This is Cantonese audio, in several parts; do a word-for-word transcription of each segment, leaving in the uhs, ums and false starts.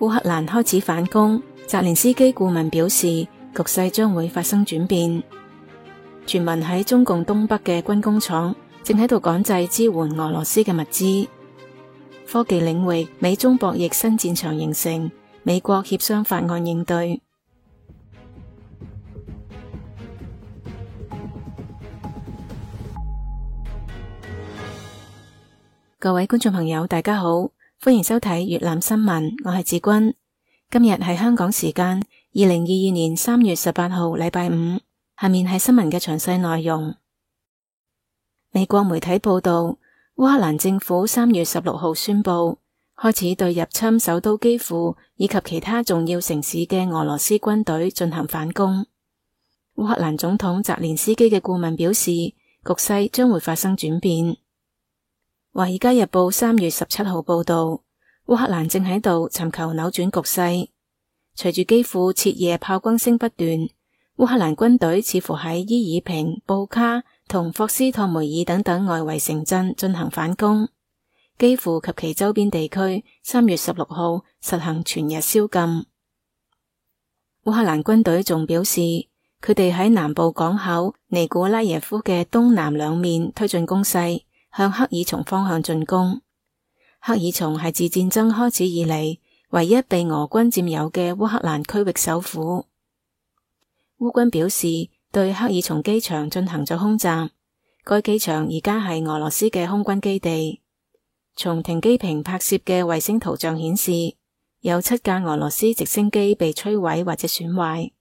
烏克蘭開始反攻，澤連斯基顧問表示，局勢將會發生轉變。傳聞喺中共東北嘅軍工廠正喺度趕製支援俄羅斯嘅物資。科技領域，美中博弈新戰場形成，美國協商法案應對。各位觀眾朋友，大家好，歡迎收睇粵覽新聞，我係子君。今日係香港時間二零二二年三月十八號，禮拜五。下面係新聞嘅詳細內容。美國媒體報道，烏克蘭政府三月十六號宣布，開始對入侵首都基輔以及其他重要城市嘅俄羅斯軍隊進行反攻。烏克蘭總統澤連斯基嘅顧問表示，局勢將會發生轉變。華爾街日報三月十七號報道，烏克蘭正喺度尋求扭轉局勢。隨住基輔徹夜炮轟聲不斷，烏克蘭軍隊似乎喺伊爾平、布卡同霍斯托梅爾等等外圍城鎮進行反攻。基輔及其周邊地區三月十六號實行全日宵禁。烏克蘭軍隊仲表示，佢哋喺南部港口尼古拉耶夫嘅東南兩面推進攻勢，向赫爾松方向進攻。赫爾松係自戰爭開始以嚟唯一被俄軍佔有嘅烏克蘭區域首府。烏軍表示對赫爾松機場進行咗空襲，該機場而家係俄羅斯嘅空軍基地。從停機坪拍攝嘅衛星圖像顯示，有七架俄羅斯直升機被摧毀或者損壞。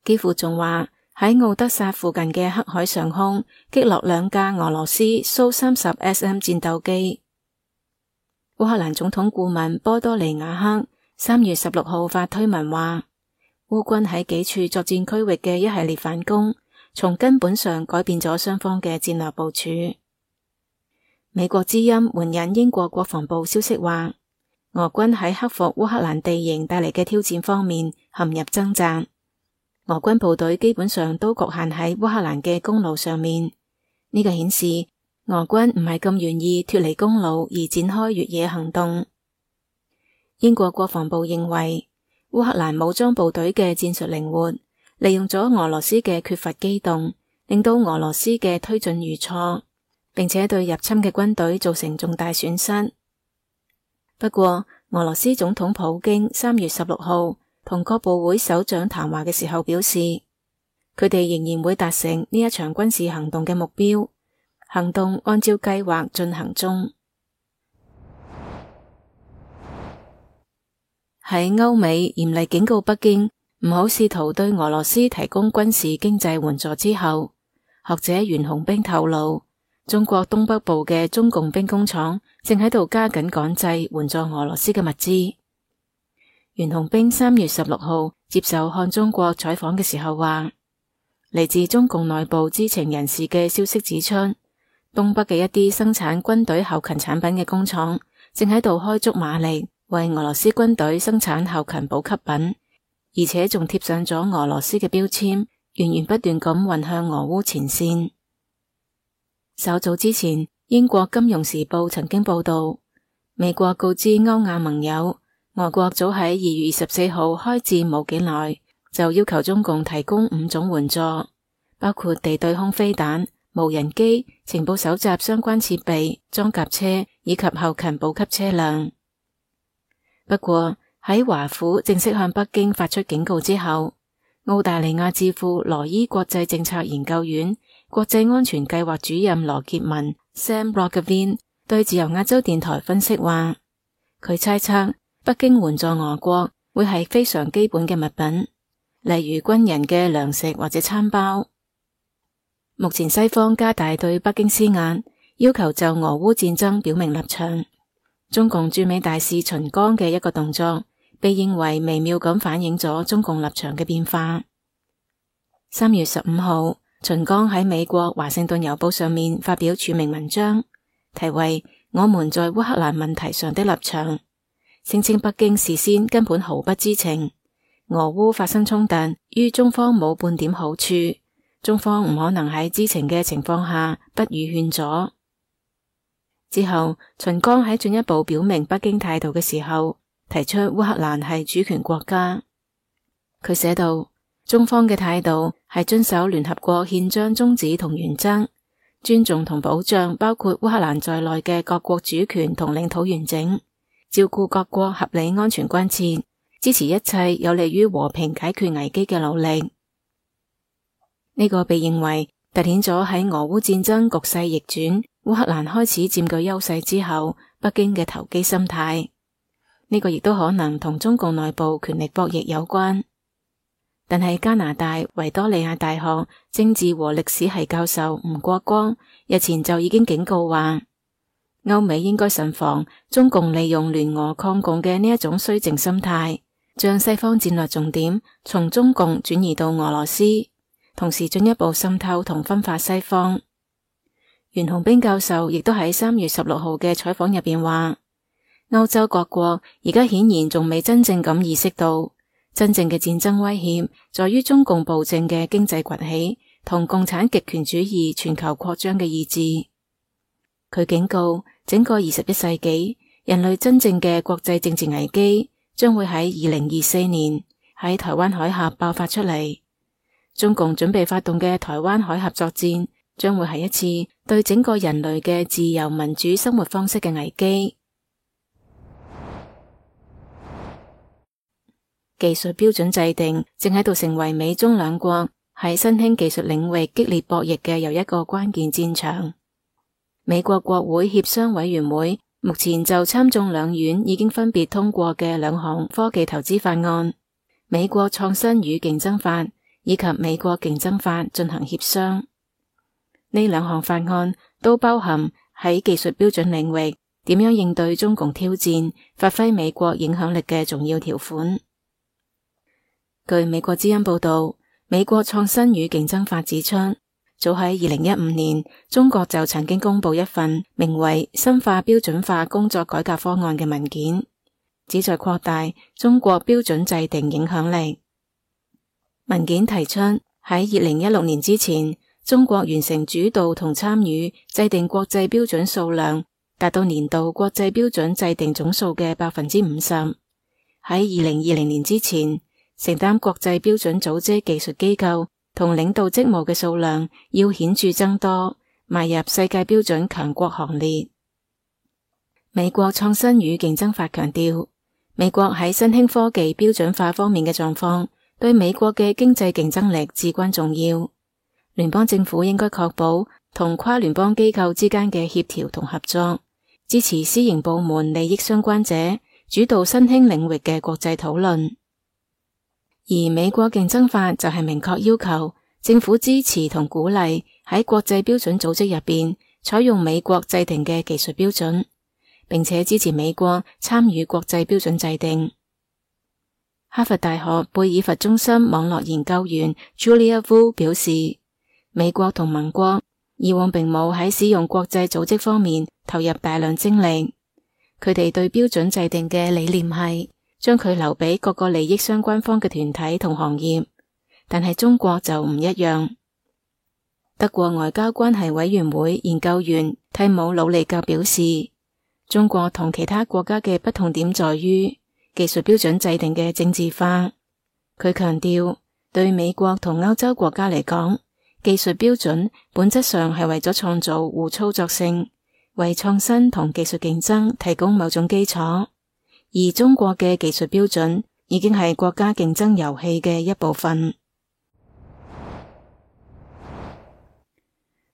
基輔仲話，喺奧德薩附近嘅黑海上空擊落兩架俄羅斯蘇三十 S M 戰鬥機。烏克蘭總統顧問波多利亞克三月十六號發推文話，烏軍喺幾處作戰區域嘅一系列反攻，從根本上改變咗雙方嘅戰略部署。美國之音援引英國國防部消息話，俄軍喺克服烏克蘭地形帶嚟嘅挑戰方面陷入掙扎。俄軍部隊基本上都局限喺烏克蘭嘅公路上面，呢個顯示俄軍唔係咁願意脫離公路而展開越野行動。英國國防部認為，烏克蘭武裝部隊嘅戰術靈活，利用咗俄羅斯嘅缺乏機動，令到俄羅斯嘅推進遇挫，並且對入侵嘅軍隊造成重大損失。不過，俄羅斯總統普京三月十六號同各部會首長談話嘅時候表示，佢哋仍然會達成呢一場軍事行動嘅目標，行動按照計劃進行中。喺歐美嚴厲警告北京唔好試圖對俄羅斯提供軍事經濟援助之後，學者袁紅冰透露，中國東北部嘅中共兵工廠正喺度加緊趕製援助俄羅斯嘅物資。袁紅冰三月十六號接受看中國採訪嘅時候話，嚟自中共內部知情人士嘅消息指出，東北嘅一啲生產軍隊後勤產品嘅工廠正喺度開足馬力為俄羅斯軍隊生產後勤補給品，而且仲貼上咗俄羅斯嘅標籤，源源不斷咁運向俄烏前線。稍早之前，英國金融時報曾經報道，美國告知歐亞盟友，俄國早喺二月二十四號開戰冇幾耐，就要求中共提供五種援助，包括地對空飛彈、無人機、情報搜集相關設備、裝甲車以及後勤補給車輛。不過喺華府正式向北京發出警告之後，澳大利亞智庫羅伊國際政策研究院國際安全計劃主任羅傑文 Sam Roggeveen 對自由亞洲電台分析話，佢猜測北京援助俄國會係非常基本嘅物品，例如軍人嘅糧食或者餐包。目前西方加大對北京施壓，要求就俄烏戰爭表明立場。中共駐美大使秦剛嘅一個動作，被認為微妙咁反映咗中共立場嘅變化。三月十五號，秦剛喺美國華盛頓郵報上面發表署名文章，題為《我們在烏克蘭問題上的立場》。聲稱北京事先根本毫不知情，俄烏發生衝突於中方冇半點好處，中方唔可能喺知情嘅情況下不予勸阻。之後，秦剛喺進一步表明北京態度嘅時候，提出烏克蘭係主權國家。佢寫道，中方嘅態度係遵守聯合國憲章宗旨同原則，尊重同保障包括烏克蘭在內嘅各國主權同領土完整，照顧各國合理安全關切，支持一切有利於和平解決危機嘅努力。呢個被認為凸顯咗喺俄烏戰爭局勢逆轉，烏克蘭開始佔據優勢之後，北京嘅投機心態。呢個亦都可能同中共內部權力博弈有關。但係加拿大維多利亞大學政治和歷史系教授吳國光日前就已經警告話，歐美應該慎防中共利用聯俄抗共嘅呢一種綏靖心態，將西方戰略重點從中共轉移到俄羅斯，同時進一步滲透同分化西方。袁洪兵教授亦都喺三月十六號嘅採訪入邊話，歐洲各國而家顯然仲未真正咁意識到，真正嘅戰爭威脅在於中共暴政嘅經濟崛起同共產極權主義全球擴張嘅意志。佢警告，整個二十一世紀人類真正嘅國際政治危機將會喺二零二四年喺台灣海峽爆發出嚟。中共準備發動嘅台灣海峽作戰將會係一次對整個人類嘅自由民主生活方式嘅危機。技術標準制定正喺度成為美中兩國喺新興技術領域激烈博弈嘅又一個關鍵戰場。美國國會協商委員會目前就參眾兩院已經分別通過嘅兩項科技投資法案，美國創新與競爭法以及美國競爭法進行協商。呢兩項法案都包含喺技術標準領域點樣應對中共挑戰、發揮美國影響力嘅重要條款。據美國之音報道，美國創新與競爭法指出，早喺二零一五年，中國就曾經公布一份名為《深化標準化工作改革方案》嘅文件，旨在擴大中國標準制定影響力。文件提出，喺二零一六年之前，中國完成主導同參與制定國際標準數量達到年度國際標準制定總數嘅百分之五十。喺二零二零年之前，承擔國際標準組織技術機構同領導職務嘅數量要顯著增多，邁入世界標準強國行列。美國創新與競爭法強調，美國喺新興科技標準化方面嘅狀況對美國嘅經濟競爭力至關重要。聯邦政府應該確保同跨聯邦機構之間嘅協調同合作，支持私營部門利益相關者主導新興領域嘅國際討論。而美國競爭法就係明確要求政府支持同鼓勵喺國際標準組織入邊採用美國制定嘅技術標準，並且支持美國參與國際標準制定。哈佛大學貝爾佛中心網絡研究員 Julia Vu 表示，美國同盟國以往並冇喺使用國際組織方面投入大量精力，佢哋對標準制定嘅理念係將佢留俾各個利益相關方嘅團體同行業，但係中國就唔一樣。德國外交關係委員會研究員蒂姆魯利格表示，中國同其他國家嘅不同點在於技術標準制定嘅政治化。佢強調，對美國同歐洲國家嚟講，技術標準本質上係為咗創造互操作性，為創新同技術競爭提供某種基礎。而中國嘅技術標準已經係國家競爭遊戲嘅一部分。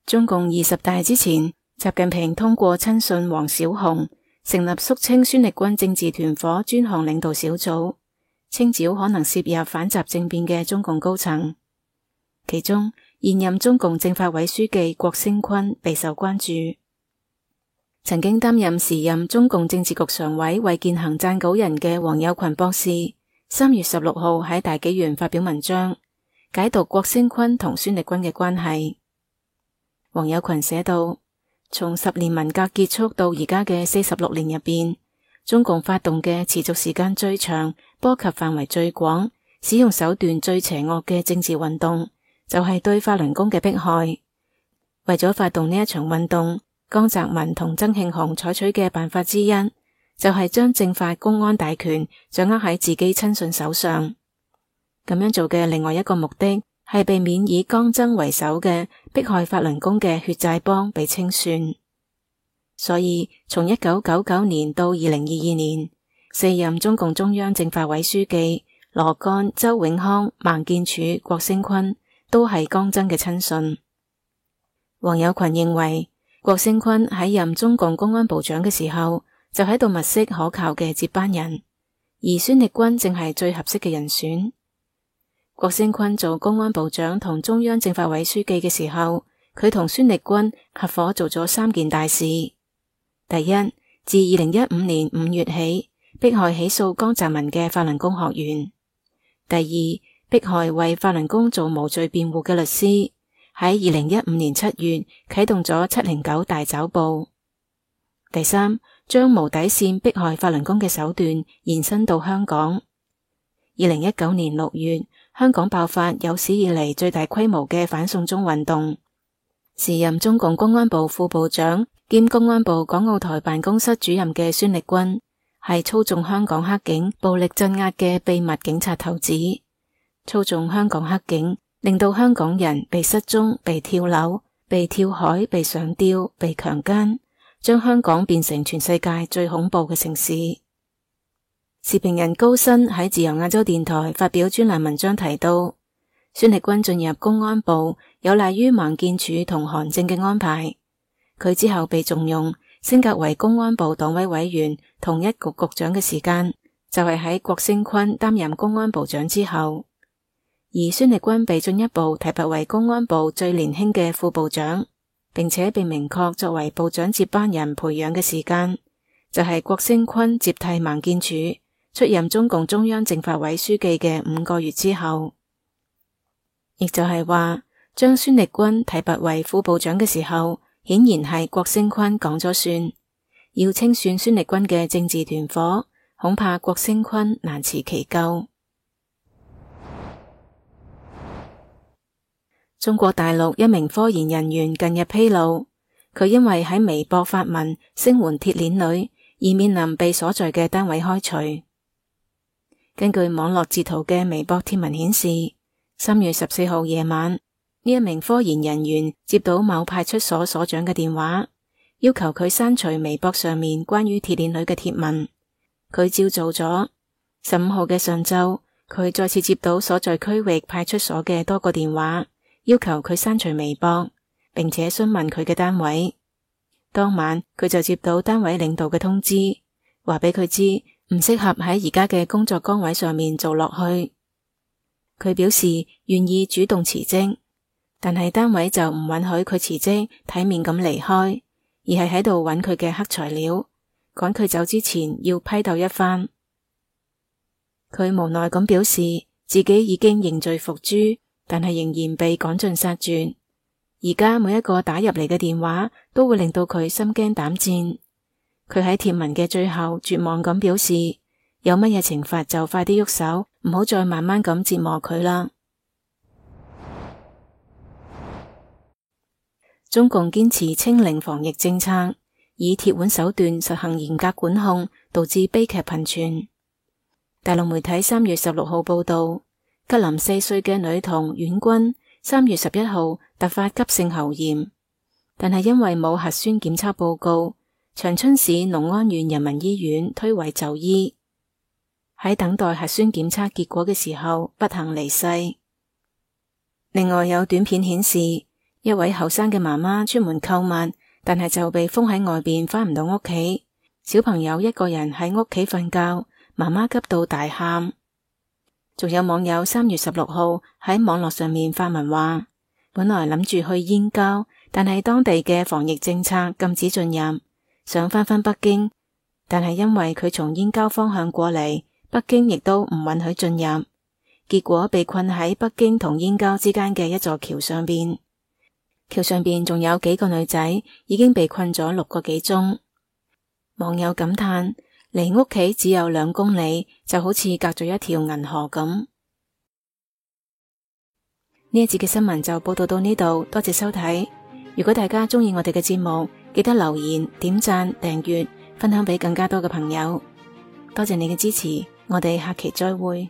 中共二十大之前，習近平通過親信王小洪成立肅清孫力軍政治團伙專項領導小組，清剿可能涉入反習政變嘅中共高層。其中，現任中共政法委書記郭聲琨備受關注。曾經擔任時任中共政治局常委衛健行撰稿人嘅王友群博士，三月十六號喺大紀元發表文章，解讀郭聲琨同孫力軍嘅關係。王友群寫道，從十年文革結束到而家嘅四十六年入邊，中共發動嘅持續時間最長、波及範圍最廣、使用手段最邪惡嘅政治運動，就係對法輪功嘅迫害。為咗發動呢一場運動，江澤民同曾慶紅採取嘅辦法之一，就就係將政法公安大權掌握喺自己親信手上。咁樣做嘅另外一個目的係避免以江臻為首嘅迫害法輪功嘅血債幫被清算。所以從一九九九年到二零二二年，四任中共中央政法委書記羅幹、周永康、孟建柱、郭聲琨都係江臻嘅親信。黃有群認為，郭聲琨喺任中共公安部長嘅時候，就喺度物色可靠嘅接班人，而孫力軍正係最合適嘅人選。郭聲琨做公安部長同中央政法委書記嘅時候，佢同孫力軍合夥做咗三件大事。第一，自二零一五年五月起，迫害起訴江澤民嘅法輪功學員。第二，迫害為法輪功做無罪辯護嘅律師，喺二零一五年七月啟動咗七零九大抓捕。第三，將無底線迫害法輪功嘅手段延伸到香港。二零一九年六月，香港爆發有史以嚟最大規模嘅反送中運動。時任中共公安部副部長兼公安部港澳台辦公室主任嘅孫力軍，係操縱香港黑警暴力鎮壓嘅秘密警察頭子，操縱香港黑警，令到香港人被失蹤、被跳樓、被跳海、被上吊、被強姦，將香港變成全世界最恐怖嘅城市。時評人高新喺自由亞洲電台發表專欄文章提到，孫力軍進入公安部有賴於孟建柱同韓正嘅安排，佢之後被重用，升格為公安部黨委委員同一局局長嘅時間，就係喺郭聲琨擔任公安部長之後。而孫力軍被進一步提拔為公安部最年輕嘅副部長，並且被明確作為部長接班人培養嘅時間，就係郭聲琨接替孟建柱出任中共中央政法委書記嘅五個月之後。亦就係話，將孫力軍提拔為副部長嘅時候，顯然係郭聲琨講咗算，要清算孫力軍嘅政治團伙，恐怕郭聲琨難辭其咎。中國大陸一名科研人員近日披露，佢因為喺微博發文聲援鐵鏈女，而面臨被所在嘅單位開除。根據網絡截圖嘅微博貼文顯示，三月十四號夜晚，呢一名科研人員接到某派出所所長嘅電話，要求佢刪除微博上面關於鐵鏈女嘅貼文。佢照做咗。十五號嘅上晝，佢再次接到所在區域派出所嘅多個電話，要求佢刪除微博，並且詢問佢嘅單位。當晚佢就接到單位領導嘅通知，話俾佢知唔適合喺而家嘅工作崗位上面做落去。佢表示願意主動辭職，但係單位就唔允許佢辭職體面咁離開，而係喺度揾佢嘅黑材料，趕佢走之前要批鬥一番。佢無奈咁表示自己已經認罪伏誅，但係仍然被趕盡殺絕。而家每一個打入嚟嘅電話都會令到佢心驚膽戰。佢喺貼文嘅最後絕望咁表示，有乜嘢懲罰就快啲喐手，唔好再慢慢咁折磨佢啦。中共堅持清零防疫政策，以鐵腕手段實行嚴格管控，導致悲劇頻傳。大陸媒體三月十六號報道，吉林四歲嘅女童婉君三月十一號突發急性喉炎，但係因為冇核酸檢測報告，長春市農安縣人民醫院推諉就醫。喺等待核酸檢測結果嘅時候，不幸離世。另外有短片顯示，一位後生嘅媽媽出門購物，但係就被封喺外邊，返唔到屋企。小朋友一個人喺屋企瞓覺，媽媽急到大喊。仲有網友三月十六號喺網絡上面發文話，本來諗住去燕郊，但係當地嘅防疫政策禁止進入，想返返北京，但係因為佢從燕郊方向過嚟，北京亦都唔允許進入，結果被困喺北京同燕郊之間嘅一座橋上邊。橋上邊仲有幾個女仔已經被困咗六個幾鐘。網友感嘆，離屋企只有兩公里，就好似隔咗一條銀河咁。呢一節嘅新聞就報道到呢度，多謝收睇。如果大家鍾意我哋嘅節目，記得留言、點讚、訂閱，分享俾更加多嘅朋友。多謝你嘅支持，我哋下期再會。